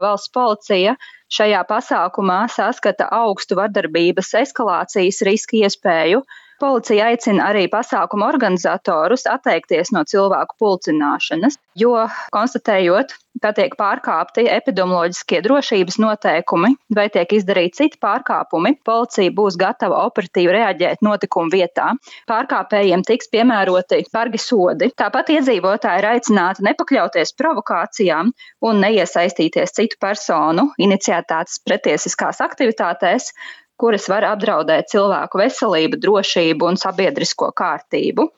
Valsts policija šajā pasākumā saskata augstu vardarbības eskalācijas riska iespēju. Policija aicina arī pasākuma organizatorus atteikties no cilvēku pulcināšanas, jo konstatējot, ka tiek pārkāpti epidemioloģiskie drošības noteikumi vai tiek izdarīti citi pārkāpumi, policija būs gatava operatīvi reaģēt notikumu vietā. Pārkāpējiem tiks piemēroti bargi sodi. Tāpat iedzīvotāji ir aicināti nepakļauties provokācijām un neiesaistīties citu personu iniciētās pretiesiskās aktivitātēs, kuras var apdraudēt cilvēku veselību, drošību un sabiedrisko kārtību.